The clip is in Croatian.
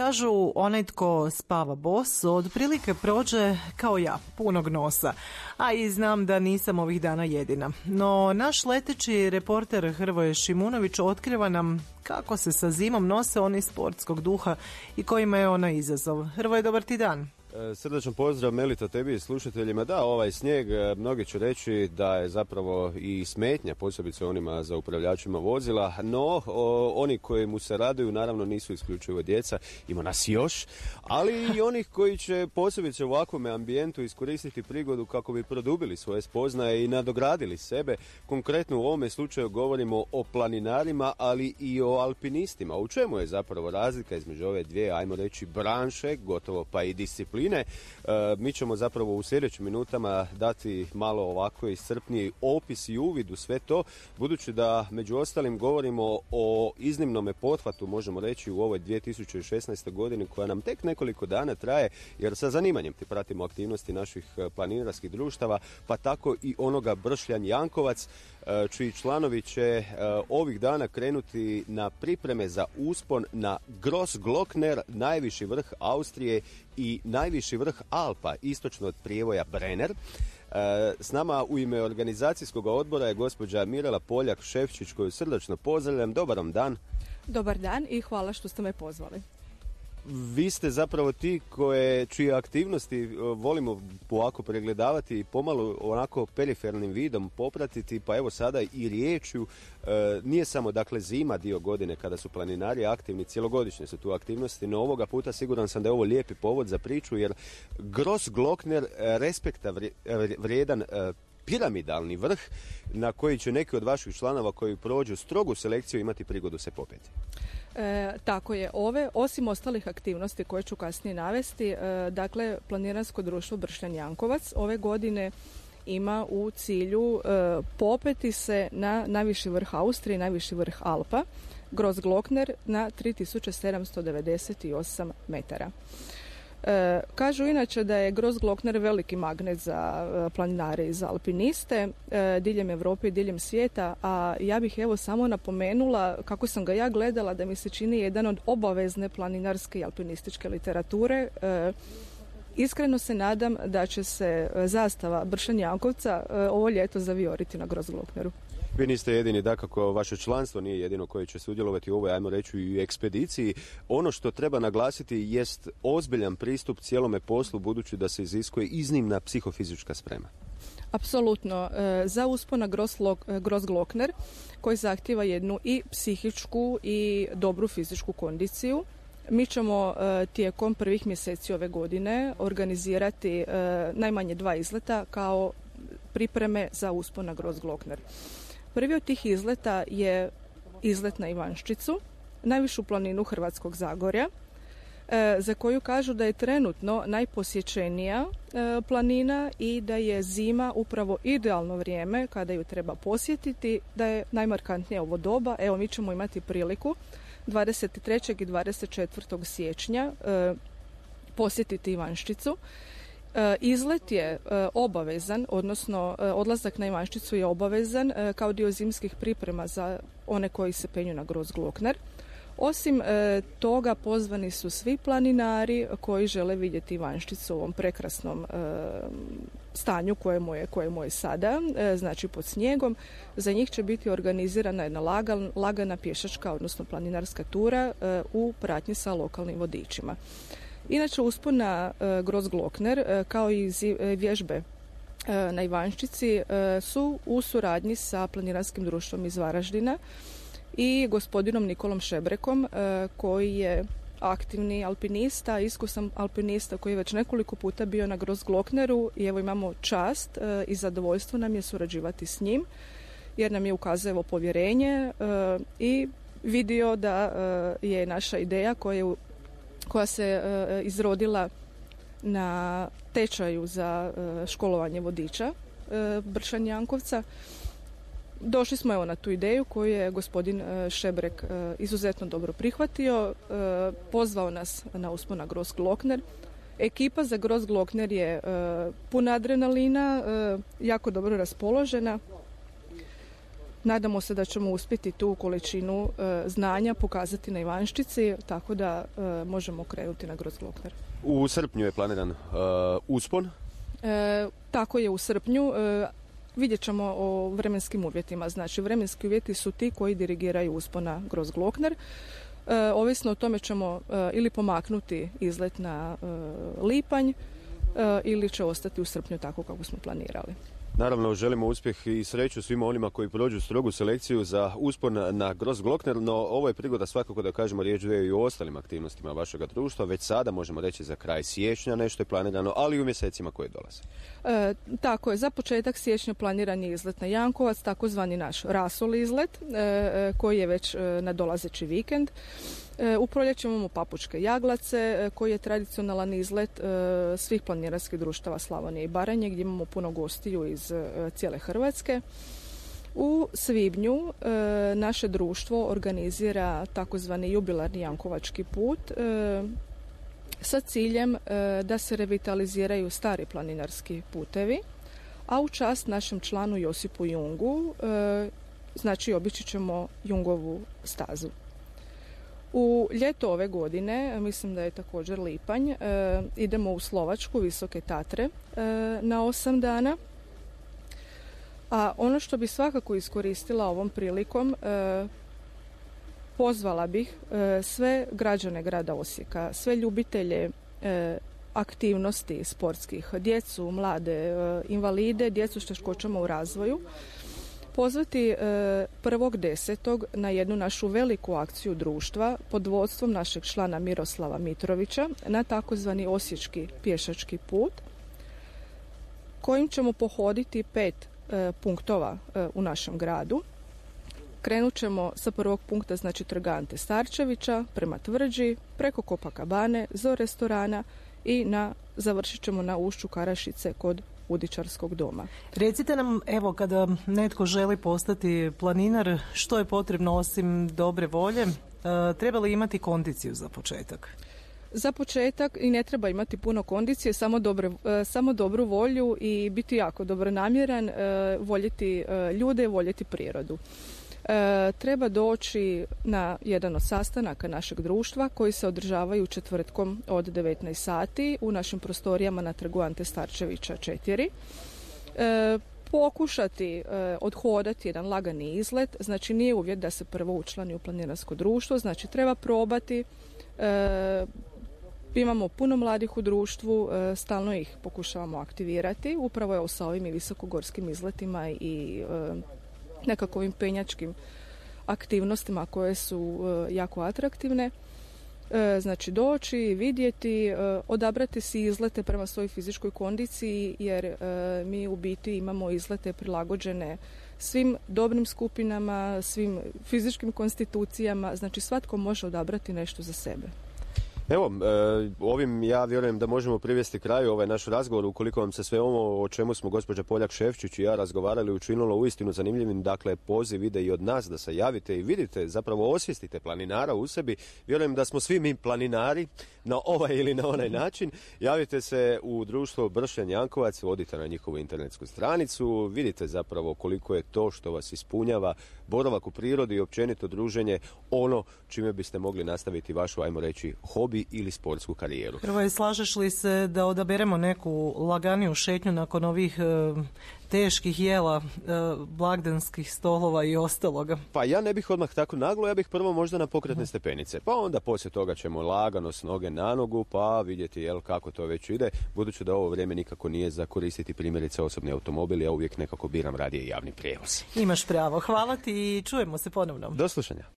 Kažu, onaj tko spava bos otprilike prođe kao ja, punog nosa. A i znam da nisam ovih dana jedina. No, naš leteći reporter Hrvoje Šimunović otkriva nam kako se sa zimom nose oni sportskog duha i kojima je ona izazov. Hrvoje, dobar ti dan. Srdačan pozdrav Melita tebi i slušateljima. Da, ovaj snijeg, mnogi će reći da je zapravo i smetnja, posebice onima za upravljačima vozila, no oni koji mu se raduju naravno nisu isključivo djeca, ima nas još, ali i onih koji će posebice u ovakvom ambijentu iskoristiti prigodu kako bi produbili svoje spoznaje i nadogradili sebe. Konkretno u ovome slučaju govorimo o planinarima, ali i o alpinistima. U čemu je zapravo razlika između ove dvije, ajmo reći, branše, gotovo pa i discipline? Mi ćemo zapravo u sljedećim minutama dati malo ovako iscrpniji opis i uvid u sve to, budući da među ostalim govorimo o iznimnome pothvatu, možemo reći, u ovoj 2016. godini koja nam tek nekoliko dana traje, jer sa zanimanjem ti pratimo aktivnosti naših planinarskih društava, pa tako i onoga Bršljan Jankovac, čiji članovi će ovih dana krenuti na pripreme za uspon na Grossglockner, najviši vrh Austrije i najviši vrh Alpa, istočno od prijevoja Brenner. S nama u ime organizacijskog odbora je gospođa Mirela Poljak-Šefčić, koju srdačno pozdravljam. Dobar vam dan. Dobar dan i hvala što ste me pozvali. Vi ste zapravo ti čije aktivnosti volimo ovako pregledavati i pomalo onako perifernim vidom popratiti, pa evo sada i riječju. Nije samo dakle zima dio godine kada su planinari aktivni, cjelogodišnje su tu aktivnosti, no ovoga puta siguran sam da je ovo lijepi povod za priču, jer Grossglockner respekta vrijedan piramidalni vrh na koji će neki od vaših članova koji prođu strogu selekciju imati prigodu se popeti. Tako je. Osim ostalih aktivnosti koje ću kasnije navesti, dakle Planinarsko društvo Bršljan Jankovac ove godine ima u cilju popeti se na najviši vrh Austrije i najviši vrh Alpa, Grossglockner na 3798 metara. Kažu inače da je Grossglockner veliki magnet za planinare i za alpiniste diljem Europe i diljem svijeta, a ja bih evo samo napomenula kako sam ga ja gledala, da mi se čini jedan od obavezne planinarske i alpinističke literature. Iskreno se nadam da će se zastava Bršljan Jankovca ovo ljeto zavijoriti na Grossglockneru. Vi niste jedini, dakako vaše članstvo nije jedino koje će sudjelovati u ovoj, ajmo reći, i ekspediciji. Ono što treba naglasiti jest ozbiljan pristup cijelome poslu, budući da se iziskuje iznimna psihofizička sprema. Apsolutno. Za uspon na Grossglockner, koji zahtijeva jednu i psihičku i dobru fizičku kondiciju, mi ćemo tijekom prvih mjeseci ove godine organizirati najmanje 2 izleta kao pripreme za uspon na Grossglockner. Prvi od tih izleta je izlet na Ivanščicu, najvišu planinu Hrvatskog Zagorja, za koju kažu da je trenutno najposjećenija planina i da je zima upravo idealno vrijeme kada ju treba posjetiti, da je najmarkantnije ovo doba. Evo, mi ćemo imati priliku 23. i 24. siječnja posjetiti Ivanščicu. Izlet je obavezan, odnosno odlazak na Ivanščicu je obavezan kao dio zimskih priprema za one koji se penju na Grossglockner. Osim toga pozvani su svi planinari koji žele vidjeti Ivanščicu u ovom prekrasnom stanju kojemu je sada, znači pod snijegom. Za njih će biti organizirana jedna lagana pješačka, odnosno planinarska tura u pratnji sa lokalnim vodičima. Inače, uspon na Grossglockner kao i vježbe na Ivanščici su u suradnji sa planinarskim društvom iz Varaždina i gospodinom Nikolom Šebrekom, koji je aktivni alpinista, iskusan alpinista koji je već nekoliko puta bio na Grossglockneru, i evo imamo čast i zadovoljstvo nam je surađivati s njim, jer nam je ukazao povjerenje i vidio da je naša ideja koja se izrodila na tečaju za školovanje vodiča Bršljan Jankovca. Došli smo evo na tu ideju koju je gospodin Šebrek izuzetno dobro prihvatio, pozvao nas na uspon na Grossglockner. Ekipa za Grossglockner je puna adrenalina, jako dobro raspoložena. Nadamo se da ćemo uspjeti tu količinu znanja pokazati na Ivanščici, tako da možemo krenuti na Grossglockner. U srpnju je planiran uspon? Tako je, u srpnju. Vidjet ćemo o vremenskim uvjetima. Znači, vremenski uvjeti su ti koji dirigiraju uspon na Grossglockner. Ovisno o tome ćemo ili pomaknuti izlet na lipanj ili će ostati u srpnju tako kako smo planirali. Naravno, želimo uspjeh i sreću svima onima koji prođu strogu selekciju za uspon na Grossglockner, no ovo je prigoda svakako da kažemo riječ dvije i o ostalim aktivnostima vašega društva. Već sada možemo reći za kraj siječnja nešto je planirano, ali i u mjesecima koji dolaze. Tako je, za početak siječnja planiran je izlet na Jankovac, takozvani naš rasol izlet, koji je već nadolazeći vikend. U proljeće imamo Papučke Jaglace, koji je tradicionalan izlet svih planinarskih društava Slavonije i Baranje, gdje imamo puno gostiju iz cijele Hrvatske. U svibnju naše društvo organizira takozvani jubilarni Jankovački put sa ciljem da se revitaliziraju stari planinarski putevi, a u čast našem članu Josipu Jungu, znači obići ćemo Jungovu stazu. U ljeto ove godine, mislim da je također lipanj, idemo u Slovačku, Visoke Tatre na 8 dana. A ono što bi svakako iskoristila ovom prilikom, pozvala bih sve građane grada Osijeka, sve ljubitelje aktivnosti sportskih, djecu, mlade, invalide, djecu s teškoćama u razvoju, pozvati 1.10. na jednu našu veliku akciju društva pod vodstvom našeg člana Miroslava Mitrovića na takozvani Osječki pješački put, kojim ćemo pohoditi 5 punktova u našem gradu. Krenut ćemo sa prvog punkta, znači Trga Ante Starčevića, prema Tvrđi, preko Copacabane, do restorana i završit ćemo na ušću Karašice kod Udičarskog doma. Recite nam, evo, kada netko želi postati planinar, što je potrebno osim dobre volje? Treba li imati kondiciju za početak? Za početak i ne treba imati puno kondicije, samo dobru volju i biti jako dobronamjeran, voljeti ljude, voljeti prirodu. Treba doći na jedan od sastanaka našeg društva koji se održavaju četvrtkom od 19 sati u našim prostorijama na Trgu Ante Starčevića 4. Pokušati odhodati jedan lagani izlet, znači nije uvjet da se prvo učlani u planinarsko društvo, znači treba probati. Imamo puno mladih u društvu, stalno ih pokušavamo aktivirati, upravo je sa ovim i visokogorskim izletima i nekakvim penjačkim aktivnostima koje su jako atraktivne. Znači doći, vidjeti, odabrati si izlete prema svojoj fizičkoj kondiciji, jer mi u biti imamo izlete prilagođene svim dobnim skupinama, svim fizičkim konstitucijama, znači svatko može odabrati nešto za sebe. Evo, ovim ja vjerujem da možemo privesti kraju ovaj naš razgovor, ukoliko vam se sve ovo o čemu smo gospođa Poljak-Šefčić i ja razgovarali učinilo uistinu zanimljivim. Dakle, poziv ide i od nas da se javite i vidite, zapravo osvijestite planinara u sebi. Vjerujem da smo svi mi planinari na ovaj ili na onaj način. Javite se u društvo Bršljan Jankovac, odite na njihovu internetsku stranicu, vidite zapravo koliko je to što vas ispunjava, boravak u prirodi i općenito druženje, ono čime biste mogli nastaviti vašu, ajmo reći, hobi ili sportsku karijeru. Hrvoje, slažeš li se da odaberemo neku laganiju šetnju nakon ovih teških jela, blagdanskih stolova i ostaloga? Pa ja ne bih odmah tako naglo, ja bih prvo možda na pokretne stepenice, pa onda poslije toga ćemo lagano s noge na nogu, pa vidjeti kako to već ide, budući da ovo vrijeme nikako nije za koristiti primjerice osobni automobil, ja uvijek nekako biram radije javni prijevoz. Imaš pravo, hvala ti i čujemo se ponovno. Do slušanja.